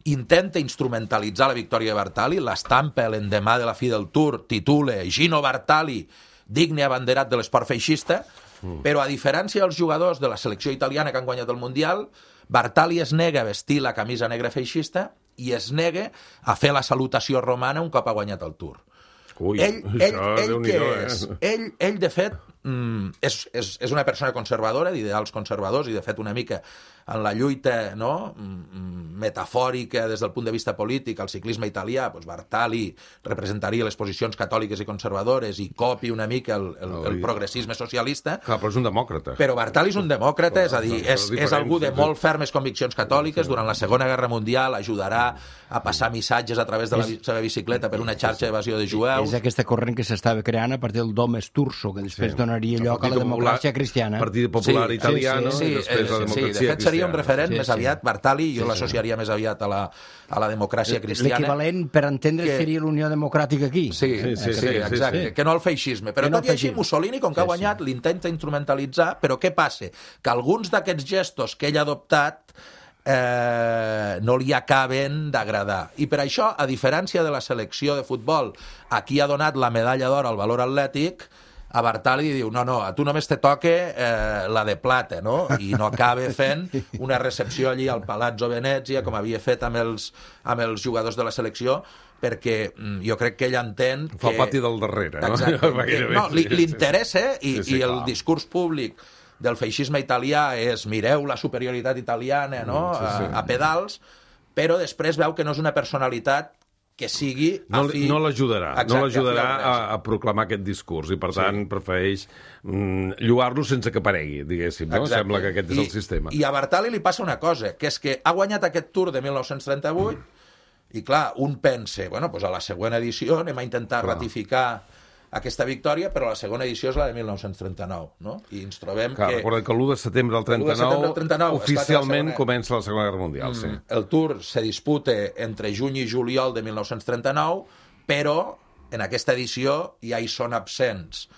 intenta instrumentalitzar la victòria de Bartali, l'estampa l'endemà de la fi del Tour, titula Gino Bartali, digne abanderat de l'esport feixista, mm. però a diferència dels jugadors de la selecció italiana que han guanyat el Mundial, Bartali es nega a vestir la camisa negra feixista i es nega a fer la salutació romana un cop ha guanyat el Tour. Ui, ell, ell, ell, què eh? és? Ell, ell, de fet, mm, és, és, és una persona conservadora, d'ideals conservadors, i de fet una mica en la lluita, no?, metafòrica des del punt de vista polític al ciclisme italià, doncs Bartali representaria les posicions catòliques i conservadores i copi una mica el, el, el progressisme socialista. Clar, però és un demòcrata. Però Bartali és un demòcrata, és a dir, és, és algú de molt fermes conviccions catòliques. Durant la Segona Guerra Mundial ajudarà a passar missatges a través de la seva bicicleta per una xarxa d'evasió de jueus. És aquesta corrent que s'estava creant a partir del Dom Sturzo, que després sí. donaria lloc a la democràcia cristiana. Partit Popular sí, Italiano, sí, sí, i després sí, la democràcia sí, de fet seria un referent sí, més aviat, Bartali, jo sí, l'associaria sí. més aviat a la, a la democràcia cristiana. L'equivalent, per entendre, que... seria l'Unió Democràtica aquí. Sí, sí, sí, sí, sí exacte, sí. que no el feixisme. Però que tot no i així, Mussolini, com que sí, ha guanyat, sí. l'intenta instrumentalitzar, però què passa? Que alguns d'aquests gestos que ell ha adoptat eh, no li acaben d'agradar. I per això, a diferència de la selecció de futbol, a qui ha donat la medalla d'or al valor atlètic, a Bartali diu, no, no, a tu només te toca eh, la de plata, no? I no acaba fent una recepció allí al Palazzo Venezia, com havia fet amb els, amb els jugadors de la selecció, perquè jo crec que ell entén que... Fa el pati del darrere, no? Exacte. No, li, li interessa, i, sí, sí, i el clar. discurs públic del feixisme italià és mireu la superioritat italiana, no? Sí, sí. A, a pedals, però després veu que no és una personalitat que sigui afí... No, no l'ajudarà, no l'ajudarà a, a proclamar aquest discurs, i per tant sí. prefereix mm, lluar-lo sense que aparegui, diguéssim, no? Exacte. Sembla que aquest és I, el sistema. I a Bartali li passa una cosa, que és que ha guanyat aquest Tour de mil nou-cents trenta-vuit, mm. i clar, un pensa, bueno, doncs a la següent edició anem a intentar clar. ratificar aquesta victòria, però la segona edició és la de mil nou-cents trenta-nou, no? I ens trobem clar, que... Recordem que l'u de setembre del trenta-nou, del trenta-nou oficialment la segona... comença la Segona Guerra Mundial, mm, sí. El Tour se disputa entre juny i juliol de mil nou-cents trenta-nou, però en aquesta edició ja hi són absents.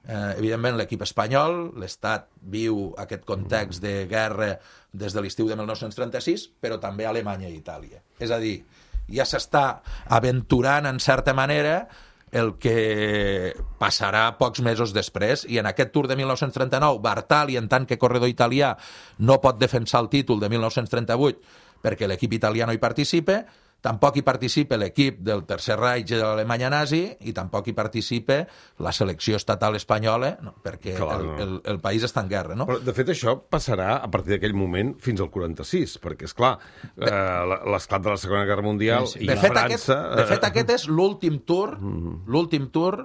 Eh, evidentment, l'equip espanyol, l'Estat viu aquest context de guerra des de l'estiu de mil nou-cents trenta-sis, però també Alemanya i Itàlia. És a dir, ja s'està aventurant, en certa manera, el que passarà pocs mesos després, i en aquest Tour de mil nou-cents trenta-nou Bartali, en tant que corredor italià, no pot defensar el títol de mil nou-cents trenta-vuit perquè l'equip italià no hi participa, tampoc hi participa l'equip del Tercer Reich de l'Alemanya nazi, i tampoc hi participa la selecció estatal espanyola, no, perquè clar, el, el, el país està en guerra, no? Però, de fet, això passarà a partir d'aquell moment fins al quaranta-sis, perquè, és clar, eh, l'esclat de la Segona Guerra Mundial sí, sí. i de fet, França... Aquest, de fet, aquest és l'últim tour, mm. l'últim tour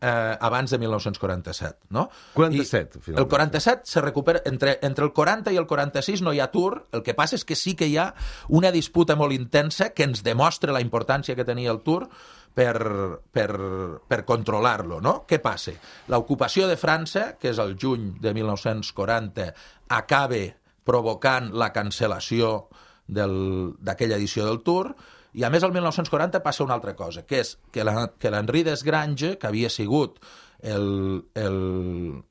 eh, abans de mil nou-cents quaranta-set, no? quaranta-set, I el quaranta-set se recupera... Entre, entre el quaranta i el quaranta-sis no hi ha Tour, el que passa és que sí que hi ha una disputa molt intensa que ens demostra la importància que tenia el Tour per, per, per controlar-lo, no? Què passa? L'ocupació de França, que és el juny de mil nou-cents quaranta, acaba provocant la cancel·lació d'aquella edició del Tour. I a més, el mil nou-cents quaranta passa una altra cosa, que és que l'Henri Desgrange, que havia sigut el, el,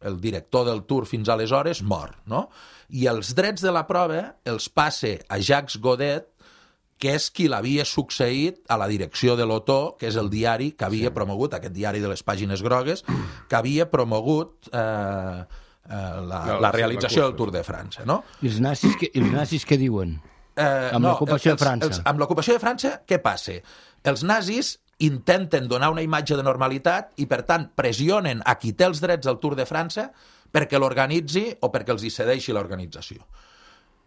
el director del Tour fins aleshores, mor, no? I els drets de la prova els passa a Jacques Godet, que és qui l'havia succeït a la direcció de l'Otó, que és el diari que havia sí. promogut, aquest diari de les pàgines grogues, que havia promogut eh, eh, la, no, la realització la del Tour de França, no? I els nazis, que, els nazis què diuen? Eh, amb no, l'ocupació els, de França. Els, amb l'ocupació de França, què passa? Els nazis intenten donar una imatge de normalitat i, per tant, pressionen a qui té els drets al Tour de França perquè l'organitzi o perquè els hi cedeixi l'organització.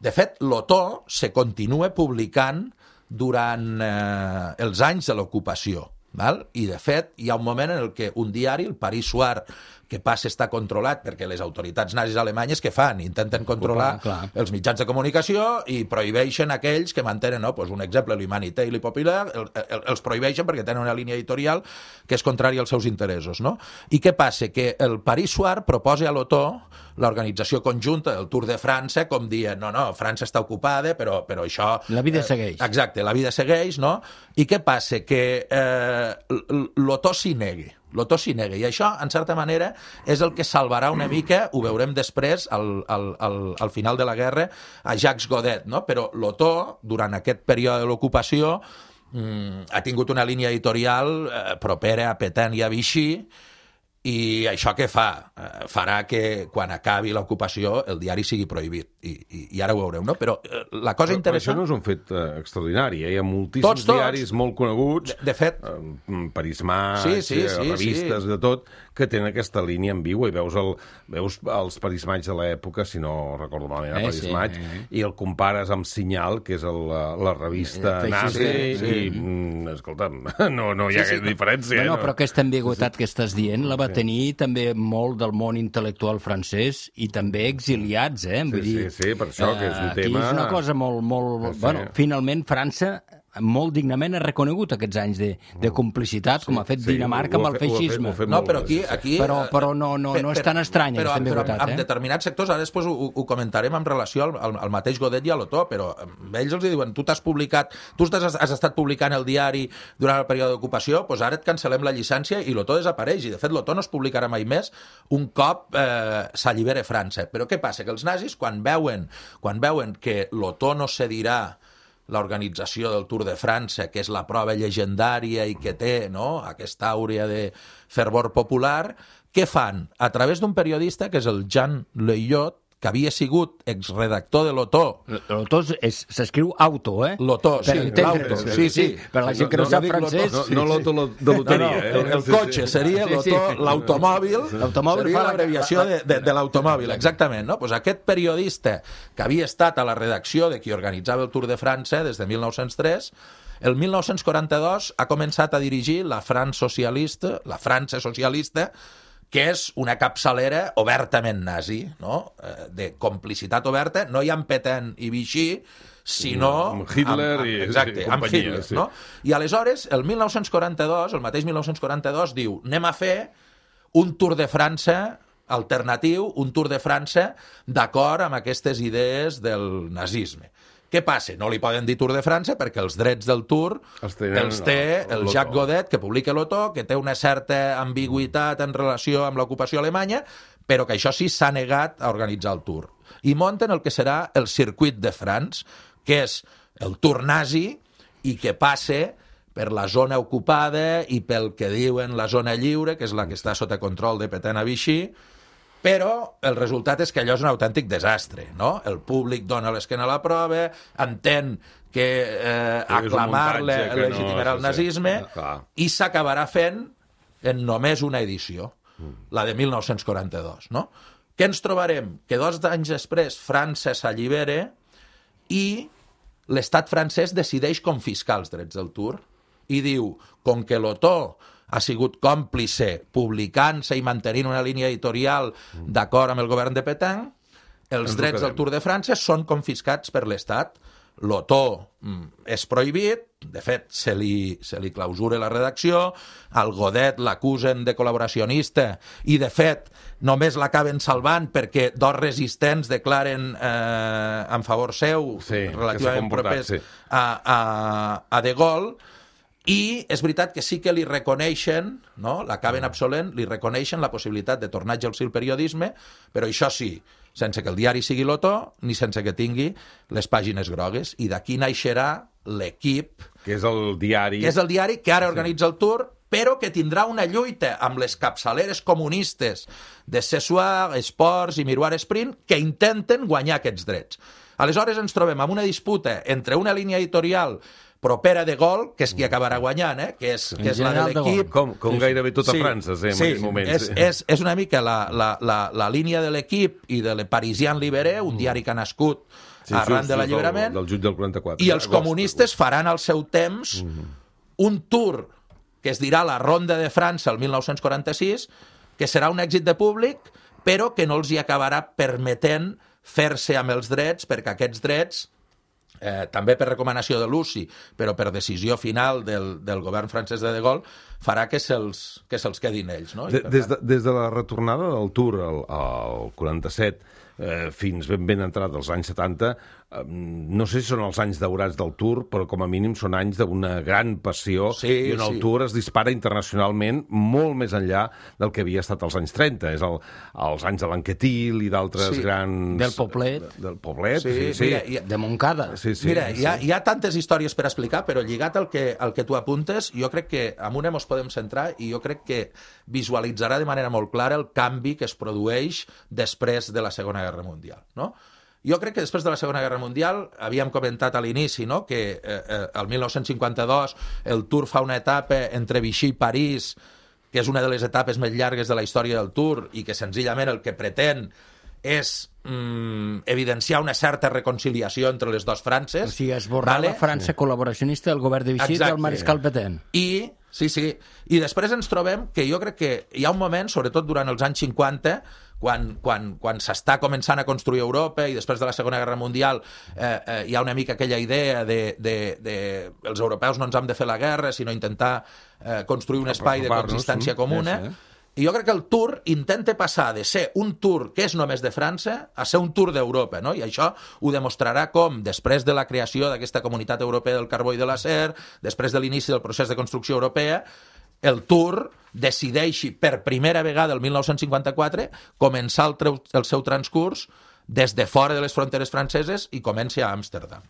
De fet, l'Otó se continua publicant durant eh, els anys de l'ocupació. Val? I, de fet, hi ha un moment en el que un diari, el Paris Soir, que passa a estar controlat perquè les autoritats nazis alemanyes què fan? Intenten controlar clar. els mitjans de comunicació i prohibeixen aquells que mantenen, no? Pues un exemple, l'Humanité i l'I Populaire, el, el, els prohibeixen perquè tenen una línia editorial que és contrària als seus interessos. No? I què passa? Que el Paris Soir proposa a l'Otó l'organització conjunta del Tour de França com dient, no, no, França està ocupada, però, però això... La vida segueix. Eh, exacte, la vida segueix, no? I què passa? Que eh, l'Otó s'hi negui. L'Otó s'hi nega, i això, en certa manera, és el que salvarà una mica, ho veurem després, al, al, al, al final de la guerra, a Jacques Godet, no? Però l'Otó, durant aquest període de l'ocupació, mmm, ha tingut una línia editorial eh, propera a Pétain i a Vichy, i això què fa? Eh, farà que quan acabi l'ocupació el diari sigui prohibit. I, i, i ara ho veureu, no? Però eh, la cosa però, interessant... Però això no és un fet eh, extraordinari, eh? Hi ha moltíssims tots, tots. diaris molt coneguts, de, de fet... eh, Paris Match, sí, sí, sí, revistes, sí. de tot, que tenen aquesta línia ambigua, i veus, el, veus els Paris Match de l'època, si no recordo malament, Eh, Paris sí, Match, eh. i el compares amb Senyal, que és el, la, la revista Eh, nazi, sí, sí. i, mm, escolta'm, no, no hi ha Sí, sí, sí, diferència. No, no, eh, però aquesta ambigüitat que estàs dient la va tenir també molt del món intel·lectual francès i també exiliats, eh? Vull Sí, dir, sí, sí, per això, que és un aquí tema- és una cosa molt... molt... Sí. Bueno, finalment, França molt dignament ha reconegut aquests anys de, de complicitat, com ha fet sí, Dinamarca ho amb ha el fet- ho ha fet- feixisme. ho ha fet No, molt però bé, aquí... sí, sí. aquí Però- eh, però no- no- no és tan estranya, però, aquesta però ambigüitat, amb, eh? amb determinats sectors, ara després ho, ho comentarem en relació al, al, al mateix Godet i a l'Otó, però a ells els diuen, tu t'has publicat, tu has, has estat publicant el diari durant el període d'ocupació, doncs ara et cancel·lem la llicència i l'Otó desapareix, i de fet l'Otó no es publicarà mai més un cop eh, s'allibere França. Però què passa? Que els nazis, quan veuen, quan veuen que l'Otó no cedirà l'organització del Tour de França, que és la prova llegendària i que té, no?, aquesta àurea de fervor popular, què fan? A través d'un periodista, que és el Jean Leillot, que havia sigut exredactor de l'Otó. L'Otó s'escriu auto, eh? L'Otó, sí, Per entendre's. l'auto, sí, sí. Per la gent que no, No, sap no dic francès... No, no l'auto de No, loteria. no, eh? el, el cotxe seria Sí, sí. l'Otó, l'automòbil, L'automòbil seria fa la- l'abreviació de, de, de l'automòbil, exactament. No? Pues aquest periodista que havia estat a la redacció de qui organitzava el Tour de França des de mil nou-cents tres, el mil nou-cents quaranta-dos ha començat a dirigir la França socialista, la França socialista, que és una capçalera obertament nazi, no? Eh, de complicitat oberta, no hi ha Pétain i Vichy, sinó... Amb Hitler amb, amb, i- exacte, i amb companyia, Hitler, sí. no? I aleshores, el mil nou-cents quaranta-dos, el mateix mil nou-cents quaranta-dos, diu, anem a fer un Tour de França alternatiu, un Tour de França d'acord amb aquestes idees del nazisme. Què passa? No li poden dir Tour de França perquè els drets del Tour Els tenen els té el l'Otó. Jacques Godet, que publica l'Otó, que té una certa ambigüitat en relació amb l'ocupació alemanya, però que això sí s'ha negat a organitzar el Tour. I munten el que serà el Circuit de France, que és el Tour nazi i que passa per la zona ocupada i pel que diuen la zona lliure, que és la que està sota control de Pétain a Vichy, però el resultat és que allò és un autèntic desastre, no? El públic dona l'esquena a la prova, entén que eh, Que és un aclamar-le muntatge que no- legitimarà el sí, sí. nazisme Ah, clar. i s'acabarà fent en només una edició, la de mil nou-cents quaranta-dos, no? Què ens trobarem? Que dos anys després França s'allibera i l'estat francès decideix confiscar els drets del Tour i diu, com que l'Otó ha sigut còmplice publicant-se i mantenint una línia editorial d'acord amb el govern de Pétain, els Ens ho drets del quedem. Tour de França són confiscats per l'Estat. L'Otó mm, és prohibit, de fet, se li, se li clausura la redacció, al Godet l'acusen de col·laboracionista i, de fet, només l'acaben salvant perquè dos resistents declaren eh, en favor seu, Sí, que s'ha relativament comportat, propers sí. a, a, a De Gaulle, i és veritat que sí que li reconeixen, no? L'acaben absolent, li reconeixen la possibilitat de tornar a exercir el periodisme, però això sí, sense que el diari sigui l'Otó, ni sense que tingui les pàgines grogues. I d'aquí naixerà l'Equip, Que és el diari... que és el diari que ara organitza el Tour, però que tindrà una lluita amb les capçaleres comunistes de Ce Soir, Esports i Miroir Sprint, que intenten guanyar aquests drets. Aleshores ens trobem amb una disputa entre una línia editorial propera de Gaulle, que és qui acabarà guanyant, eh? que és, que és la de general de l'Equip. Com, com gairebé tota Sí, França, sí, en sí, aquell moment. és, és, és una mica la, la, la, la línia de l'Equip i de Le Parisien Libéré, un diari que ha nascut sí, arran sí, de l'alliberament, del, del juny del quaranta-quatre. i els comunistes faran al seu temps mm-hmm. un tour que es dirà la Ronda de França el mil nou-cents quaranta-sis, que serà un èxit de públic, però que no els hi acabarà permetent fer-se amb els drets, perquè aquests drets, eh, també per recomanació de Luci, però per decisió final del, del govern francès de De Gaulle, farà que se'ls que se'ls quedin ells. No? De, des, de, des de la retornada del Tour al, al quaranta-set eh, fins ben ben entrat als anys setanta, eh, no sé si són els anys daurats del Tour, però com a mínim són anys d'una gran passió, sí, i on el sí. Tour es dispara internacionalment molt més enllà del que havia estat als anys trenta. És el, els anys de l'Anquetil i d'altres Sí. grans... Del Poblet. Del Poblet, Sí, sí, sí. mira, i- De Montcada. Sí, sí, Mira, sí. hi ha, hi ha tantes històries per explicar, però lligat al que, al que tu apuntes, jo crec que amb una ens podem centrar i jo crec que visualitzarà de manera molt clara el canvi que es produeix després de la Segona Guerra Mundial, no? Jo crec que després de la Segona Guerra Mundial, havíem comentat a l'inici, no?, que eh, eh, el mil nou-cents cinquanta-dos el Tour fa una etapa entre Vichy i París, que és una de les etapes més llargues de la història del Tour i que senzillament el que pretén és mm, evidenciar una certa reconciliació entre les dues Frances. O sigui, esborrar vale? la França col·laboracionista del govern de Vichy Exacte. del mariscal Petain. I, sí, sí, i després ens trobem que jo crec que hi ha un moment, sobretot durant els anys cinquanta, quan, quan, quan s'està començant a construir Europa i després de la Segona Guerra Mundial eh, eh, hi ha una mica aquella idea de, de, de els europeus no ens hem de fer la guerra, sinó intentar eh, construir un espai de coexistència comuna. Sí, sí. I jo crec que el Tour intenta passar de ser un Tour que és només de França a ser un Tour d'Europa, no? I això ho demostrarà com, després de la creació d'aquesta Comunitat Europea del Carbó i de l'Acer, després de l'inici del procés de construcció europea, el Tour decideixi per primera vegada el mil nou-cents cinquanta-quatre començar el, treu, el seu transcurs des de fora de les fronteres franceses i comenci a Amsterdam.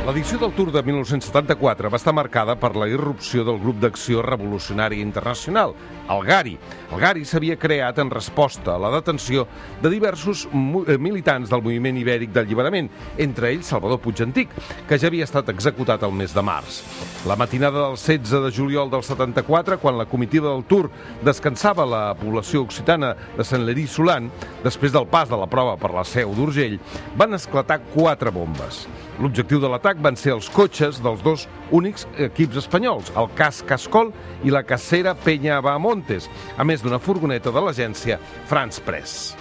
L'edició del Tour de mil nou-cents setanta-quatre va estar marcada per la irrupció del Grup d'Acció Revolucionària Internacional, el GARI. El GARI s'havia creat en resposta a la detenció de diversos militants del moviment ibèric d'alliberament, entre ells Salvador Puig Antic, que ja havia estat executat el mes de març. La matinada del setze de juliol del setanta-quatre, quan la comitiva del Tour descansava a la població occitana de Saint-Léry-Soulan, després del pas de la prova per la Seu d'Urgell, van esclatar quatre bombes. L'objectiu de l'atac van ser els cotxes dels dos únics equips espanyols, el Cas Cascol i la Casera Peña Bahamontes, a més d'una furgoneta de l'agència France Press.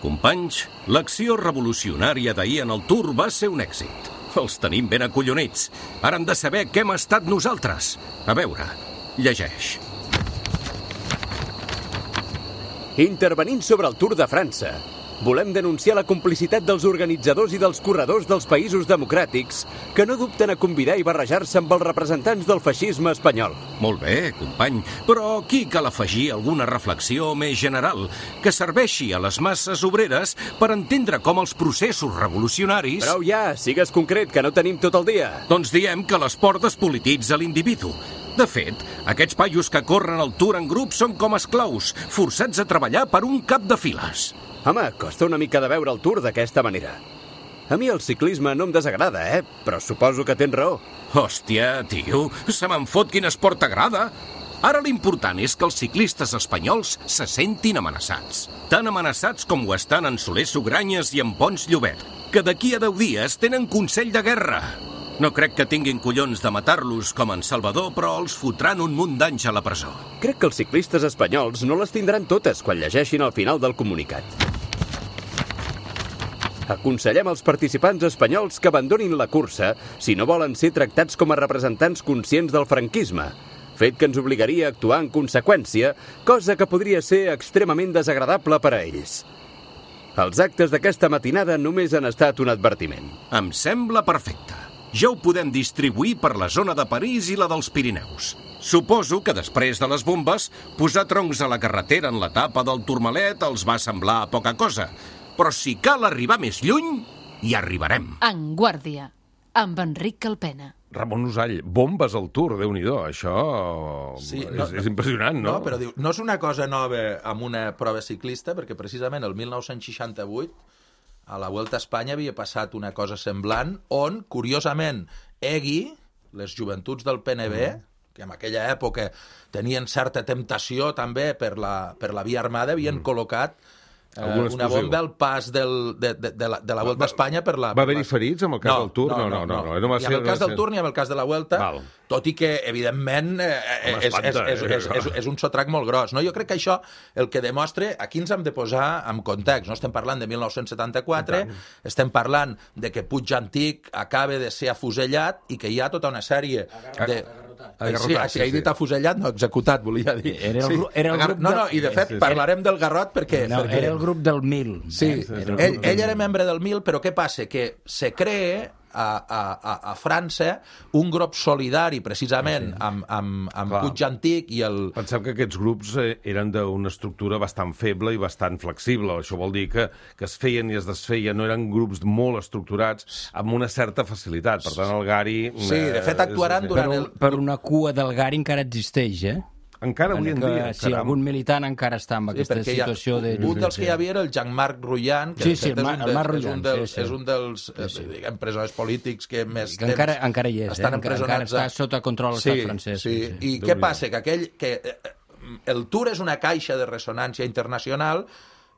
Companys, l'acció revolucionària d'ahir en el Tour va ser un èxit. Els tenim ben acollonits. Ara han de saber què hem estat nosaltres. A veure, llegeix. Intervenint sobre el Tour de França, volem denunciar la complicitat dels organitzadors i dels corredors dels països democràtics que no dubten a convidar i barrejar-se amb els representants del feixisme espanyol. Molt bé, company, però aquí cal afegir alguna reflexió més general que serveixi a les masses obreres per entendre com els processos revolucionaris... Prou ja, sigues concret, que no tenim tot el dia. Doncs diem que l'esport despolititza l'individu. De fet, aquests paios que corren el Tour en grup són com esclaus, forçats a treballar per un cap de files. Home, costa una mica de veure el Tour d'aquesta manera. A mi el ciclisme no em desagrada, eh? Però suposo que tens raó. Hòstia, tio, se me'n fot quin esport t'agrada. Ara l'important és que els ciclistes espanyols se sentin amenaçats. Tan amenaçats com ho estan en Soler Sugranyes i en Pons Llobet, que d'aquí a deu dies tenen consell de guerra. No crec que tinguin collons de matar-los com en Salvador, però els fotran un munt d'anys a la presó. Crec que els ciclistes espanyols no les tindran totes quan llegeixin el final del comunicat. Aconsellem als participants espanyols que abandonin la cursa si no volen ser tractats com a representants conscients del franquisme, fet que ens obligaria a actuar en conseqüència, cosa que podria ser extremament desagradable per a ells. Els actes d'aquesta matinada només han estat un advertiment. Em sembla perfecte. Ja ho podem distribuir per la zona de París i la dels Pirineus. Suposo que després de les bombes, posar troncs a la carretera en l'etapa del Tourmalet els va semblar poca cosa. Però si cal arribar més lluny, hi arribarem. En Guàrdia, amb Enric Calpena. Ramon Usall, bombes al Tour, Déu-n'hi-do, això Sí, és, no, és impressionant, no? No, però diu, no és una cosa nova amb una prova ciclista, perquè precisament el mil nou-cents seixanta-vuit a la Vuelta a Espanya havia passat una cosa semblant, on, curiosament, Egui, les joventuts del P N B, mm. que en aquella època tenien certa temptació també per la, per la via armada, havien mm. col·locat eh, una bomba al pas del, de, de, de, la, de la Vuelta a Espanya per la... Va haver-hi ferits amb el cas no, del Tour? No, no, no. no, no. no. no Ni amb el cas del Tour ni amb el cas de la Vuelta, Val. tot i que, evidentment, eh, és, és, és, és, és, és un sotrac molt gros. No? Jo crec que això el que demostra... Aquí ens hem de posar en context. No estem parlant de mil nou-cents setanta-quatre, estem parlant de que Puig Antic acaba de ser afusellat i que hi ha tota una sèrie de... Sí, sí, he dit afusellat, no, executat, volia dir. Era el, era el grup no, no, i de fet parlarem del Garrot perquè... No, perquè... era el grup del Mil. Sí, ell, ell era membre del Mil, però què passa? Que se crea a, a, a França un grup solidari precisament amb, amb, amb Puig Antic i el... Pensem que aquests grups eh, eren d'una estructura bastant feble i bastant flexible. Això vol dir que, que es feien i es desfeien, no eren grups molt estructurats amb una certa facilitat. Per tant, el Gari... Sí, de fet actuaran és... durant per, el... Per una cua del Gari encara existeix, eh? Encara avui en que, dia. Si algun militant encara està en aquesta sí, situació ha, de... Un dels que hi havia era el Jean-Marc Rouillan, que sí, sí, és, un de, Marc és, un Rouillan, dels, sí, sí. és un dels sí, sí. Eh, diguem, presoners polítics que més que encara, encara hi és, estan eh? empresonats. Encara està sota control de l'estat sí, francès. Sí, sí. I què passa? Que, aquell, que el Tour és una caixa de ressonància internacional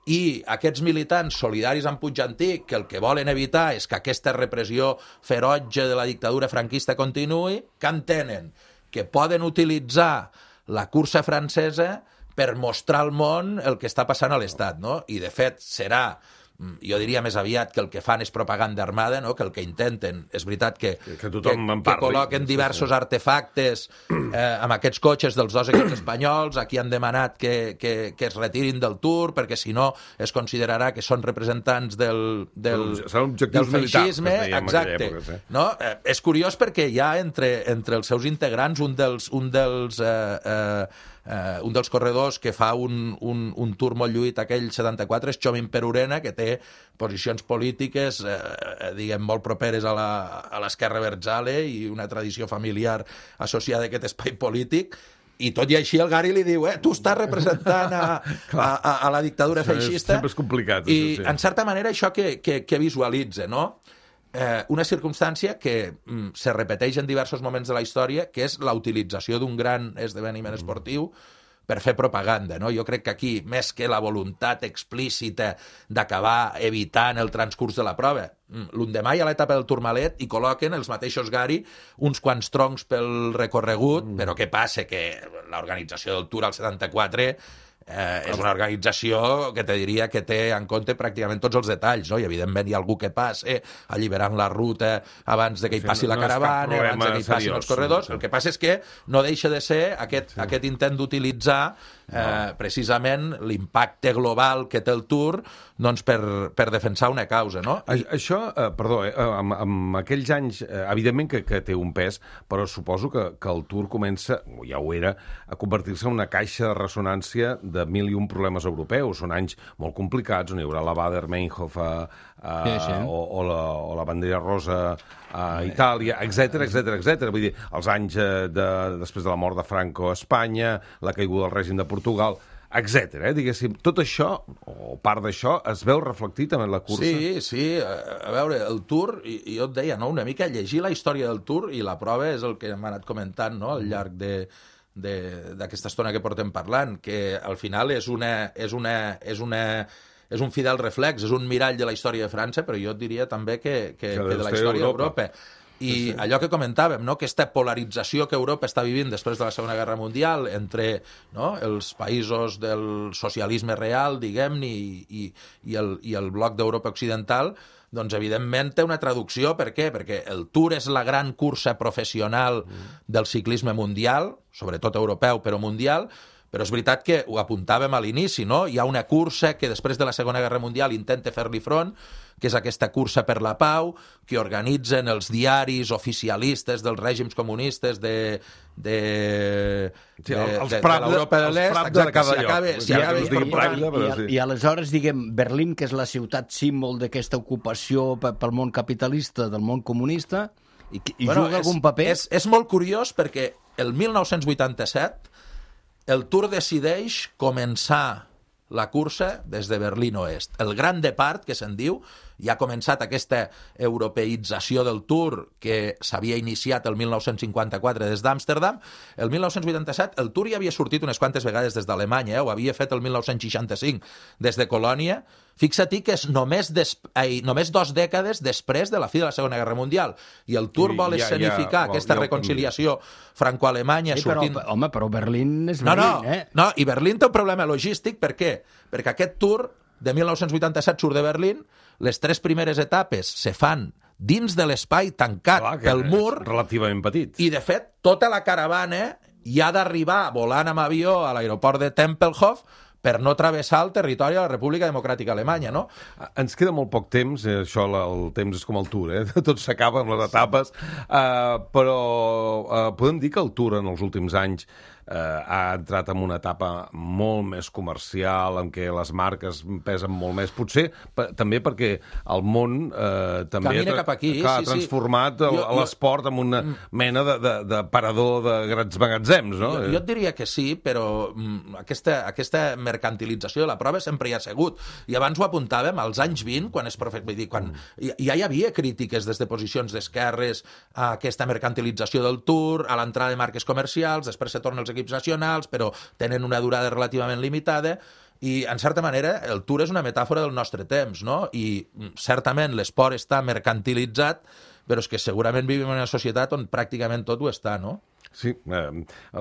i aquests militants solidaris amb Puig Antic, que el que volen evitar és que aquesta repressió ferotge de la dictadura franquista continuï, que entenen que poden utilitzar la cursa francesa per mostrar al món el que està passant a l'Estat, no? I, de fet, serà, jo diria més aviat que el que fan és propaganda armada, no? Que el que intenten, és veritat que, que, tothom que, que col·loquen diversos artefactes eh, amb aquests cotxes dels dos equips espanyols, aquí han demanat que, que, que es retirin del Tour, perquè si no es considerarà que són representants del, del, del feixisme. Exacte. Època, sí. No? Eh, és curiós perquè hi ha entre, entre els seus integrants un dels... Un dels eh, eh, Uh, un dels corredors que fa un, un, un tour molt lluït aquell setanta-quatre és Chomin Perurena, que té posicions polítiques uh, diguem molt properes a l'esquerra abertzale i una tradició familiar associada a aquest espai polític. I tot i així el Gari li diu, eh, tu estàs representant a, a, a, a la dictadura feixista. Sempre és complicat. I això, sí. En certa manera això que, que, que visualitza, no? Eh, una circumstància que mm, se repeteix en diversos moments de la història, que és la utilització d'un gran esdeveniment esportiu per fer propaganda, no? Jo crec que aquí, més que la voluntat explícita d'acabar evitant el transcurs de la prova, l'endemà hi ha l'etapa del Tourmalet i col·loquen els mateixos Gari uns quants troncs pel recorregut, mm. però què passa? Que l'organització del Tour al setanta-quatre Eh, és una organització que te diria que té en compte pràcticament tots els detalls, no? I evidentment hi ha algú que passi alliberant la ruta abans de que hi passi sí, no, la caravana, no abans de que hi passin els corredors. El que passa és que no deixa de ser aquest, sí. aquest intent d'utilitzar eh, no. precisament l'impacte global que té el Tour doncs, per, per defensar una causa, no? I... Això, eh, perdó, eh, amb, amb aquells anys, eh, evidentment que, que té un pes, però suposo que, que el Tour comença, ja ho era, a convertir-se en una caixa de ressonància de mil i un problemes europeus. Són anys molt complicats, on hi haurà la Baader-Meinhof a, a, sí, sí. O, o, la, o la bandera rosa a Itàlia, etc etc etc. Vull dir, els anys de, després de la mort de Franco a Espanya, la caiguda del règim de Portugal, etcètera. Eh? Diguéssim, tot això, o part d'això, es veu reflectit en la cursa? Sí, sí. A veure, el Tour, i, i jo et deia, no? Una mica llegir la història del Tour, i la prova és el que hem anat comentant, no? Al llarg de d'aquesta estona que portem parlant, que al final és una, és una, és una és un fidel reflex, és un mirall de la història de França, però jo et diria també que, que, que de la història d'Europa. I sí, sí. Allò que comentàvem, no? Aquesta polarització que Europa està vivint després de la Segona Guerra Mundial entre, no? Els països del socialisme real, diguem-ne, i, i, i, el, i el bloc d'Europa occidental, doncs evidentment té una traducció. Per què? Perquè el Tour és la gran cursa professional del ciclisme mundial, sobretot europeu, però mundial, però és veritat que ho apuntàvem a l'inici, no? Hi ha una cursa que després de la Segona Guerra Mundial intenta fer-li front, que és aquesta cursa per la pau, que organitzen els diaris oficialistes dels règims comunistes de, de, sí, de, els de, Pravda, de l'Europa de l'Est. Exacte, si acaba, si acaba I, i, i, I aleshores, diguem, Berlín, que és la ciutat símbol d'aquesta ocupació pel món capitalista, del món comunista, I, i bueno, juga algun paper? És, és molt curiós perquè el mil nou-cents vuitanta-set el Tour decideix començar la cursa des de Berlín Oest. El Gran Depart, que se'n diu, ja ha començat aquesta europeïtzació del Tour que s'havia iniciat el mil nou-cents cinquanta-quatre des d'Amsterdam. El mil nou-cents vuitanta-set el Tour ja havia sortit unes quantes vegades des d'Alemanya, eh? Ho havia fet el mil nou-cents seixanta-cinc des de Colònia. Fixa-t'hi que és només, des... Ai, només dos dècades després de la fi de la Segona Guerra Mundial. I el Tour vol ja, escenificar ja, aquesta ja reconciliació franco-alemanya sí, sortint... Però, home, però Berlín és no, Berlín, no, eh? No, i Berlín té un problema logístic. Per què? Perquè aquest Tour de mil nou-cents vuitanta-set surt de Berlín, les tres primeres etapes se fan dins de l'espai tancat Clar, pel mur, relativament petit. i de fet tota la caravana hi ha d'arribar volant amb avió a l'aeroport de Tempelhof per no travessar el territori de la República Democràtica Alemanya, no? Ens queda molt poc temps, eh, això el temps és com el Tour, eh? Tot s'acaba amb les etapes, uh, però uh, podem dir que el Tour en els últims anys eh, ha entrat en una etapa molt més comercial, en què les marques pesen molt més, potser p- també perquè el món eh, també Camina cap aquí, clar, sí, ha transformat sí. el- Jo- jo- l'esport en una mena de, de, de parador de grans magatzems, no? Jo, jo et diria que sí, però mm, aquesta, aquesta mercantilització de la prova sempre hi ha sigut. I abans ho apuntàvem, als anys vint, quan es profe... vull dir, quan ja, ja hi havia crítiques des de posicions d'esquerres a aquesta mercantilització del Tour, a l'entrada de marques comercials, després se torna als equips nacionals, però tenen una durada relativament limitada, i, en certa manera, el Tour és una metàfora del nostre temps, no? I, mm, certament, l'esport està mercantilitzat, però és que segurament vivim en una societat on pràcticament tot ho està, no? Sí, eh,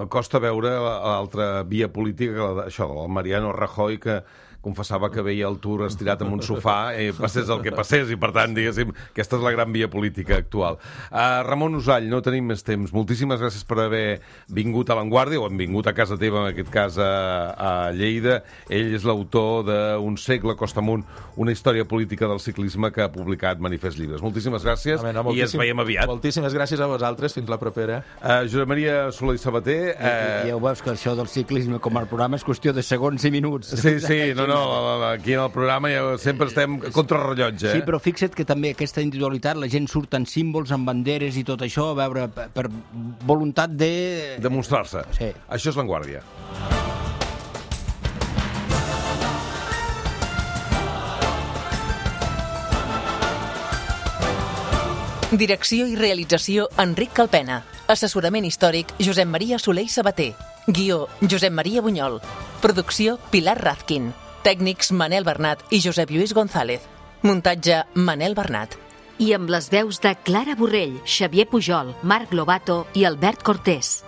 costa veure l'altra via política, que la, això, el Mariano Rajoy, que confessava que veia el Tour estirat en un sofà, eh, passés el que passés, i per tant, diguéssim, aquesta és la gran via política actual. Uh, Ramon Usall, no tenim més temps. Moltíssimes gràcies per haver vingut a l'Avantguàrdia, o hem vingut a casa teva, en aquest cas a, a Lleida. Ell és l'autor d'Un segle costa amunt, una història política del ciclisme, que ha publicat Manifest Llibres. Moltíssimes gràcies, Home, no, i ens veiem aviat. Moltíssimes gràcies a vosaltres, fins la propera. Uh, Josep Maria Soler i Sabater... Uh... Ja ho veus, que això del ciclisme com a programa és qüestió de segons i minuts. Sí, sí, no, no, aquí en el programa ja sempre estem contra rellotge. Eh? Sí, però fixa't que també aquesta individualitat, la gent surt en símbols, en banderes i tot això, a veure, per, per voluntat de... Demostrar-se. Sí. Això és l'Avantguàrdia. Direcció i realització Enric Calpena. Assessorament històric Josep Maria Soler i Sabater. Guió Josep Maria Bunyol. Producció Pilar Razkin. Tècnics Manel Bernat i Josep Lluís González. Muntatge Manel Bernat. I amb les veus de Clara Borrell, Xavier Pujol, Marc Lobato i Albert Cortés.